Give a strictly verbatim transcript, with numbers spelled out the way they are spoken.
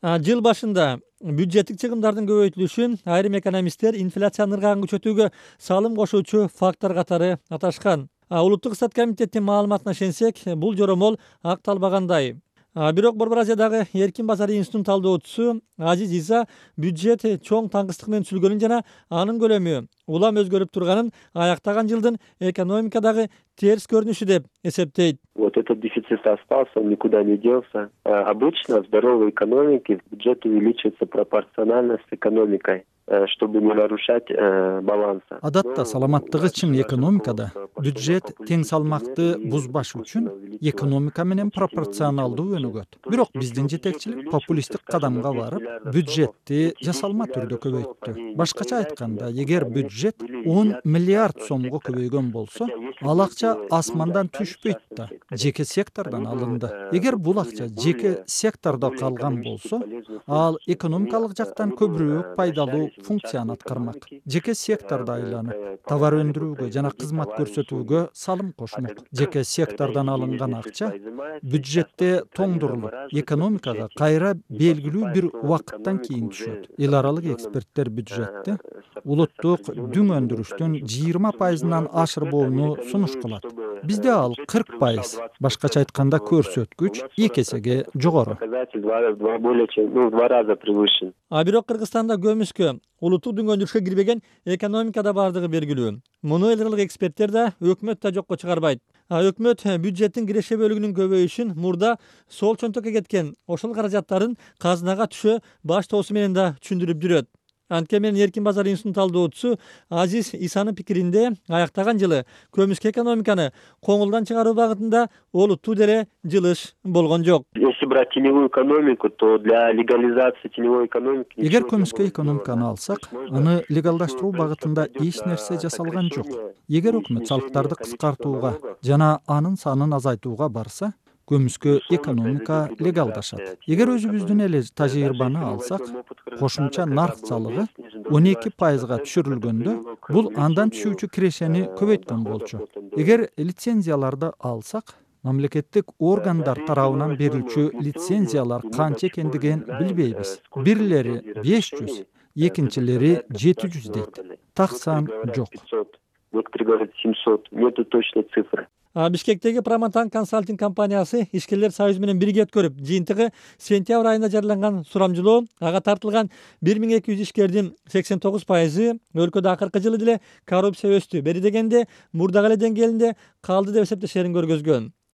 Жыл башында бюджеттик чыгымдардын көбөйтүлүшүн айрым экономисттер инфляциянын ыргагын күчөтүүгө салым кошуучу фактор катары аташкан. Улуттук ыксат комитеттин маалыматына ишенсек, бул жоромол акталбагандай. Бирок Борбор Азиядагы эркин базар институтунун талдоочусу Азиз Иза бюджет чоң таңкыстык менен түзүлгөнүн жана анын көлөмү улам өзгөрүп турганын аяктаган жылдын экономикадагы терс көрүнүшү деп эсептейт. Вот этот дефицит остался, он никуда не делся. Обычно в здоровой экономике бюджет увеличивается пропорционально с экономикой, чтобы не нарушать баланса. Адатта саламаттыгы чың экономикада бюджет тең салмакты бузбаш үчүн экономика менен пропорционалдуу өнүгөт. Бирок биздин жетекчилик популисттик кадамга барып, бюджетти жасалма түрдө көбөйттү. Башкача айтканда, эгер бюджет он миллиард сомго көбөйгөн болсо, ал акча асмандан түшпөйт да, жеке сектордон алынды. Эгер бул акча жеке сектордо калган болсо, ал экономикалык жактан көбүрөөк пайдалуу функцияны аткармак. Жеке сектордо айланып, товар өндүрүүгө жана кызмат көрсөтүүгө салым кошмок. Жеке сектордон алынган акча бюджетте тоңдурулуп, экономикага кайра белгилүү бир убакыттан кийин түшөт. Эл аралык эксперттер бюджетти улуттук дүң өндүрүштүн жыйырма пайызынан ашырбоону сунуш кылат. Бизде ал кырк пайыз. Башкача айтканда, көрсөткүч эки эсеге жогору. Бирок Кыргызстанда көмүскө улуттук дүң өндүрүшкө кирбеген экономикада бардыгы белгилүү. Муну эл аралык эксперттер да, өкмөт да жокко чыгарбайт. Өкмөт бюджеттин киреше бөлүгүнүн көбөйүшүн мурда сол чөнтөккө кеткен ошол каражаттардын казынага түшө баштоосу менен да түшүндүрүп жүрөт. Анткени эркин базар институтунун талдоочусу Азиз Исанын пикиринде, аяктаган жылы көмүскө экономиканы коңулдан чыгаруу багытында олуттуу деле жылыш болгон жок. Если брать теневую экономику, то для легализации теневой экономики... Эгер көмүскө экономиканы алсак, аны легалдаштыруу багытында эч нерсе жасалган жок. Эгер өкмөт салыктарды кыскартууга жана анын санын азайтууга барса, көмүскө экономика легалдашат. Эгер өзүбүздүн эле тажрыйбаны алсак, кошумча нарк салыгы он эки пайызга түшүрүлгөндө, бул андан түшүүчү кирешени көбөйткөн болчу. Эгер лицензияларды алсак, мамлекеттик органдар тарабынан берилчү лицензиялар канча экендигин билбейбиз. Бирлери беш жүз, экинчилери жети жүз дейт. Таксан жок. Некоторые говорят семьсот. Нету точной цифры. Бишкектеги Проматан консалтинг компаниясы ишкерлер союзу менен бирге өткөрүп, жыйынтыгы сентябрь айында жарыяланган сурамжылоо, ага тартылган бир миң эки жүз ишкердин сексен тогуз пайызы өлкөдө акыркы жылы деле коррупция өстү. Бери дегенде мурдагы эле деңгээлинде калды деп эсептешерин көргөзгөн.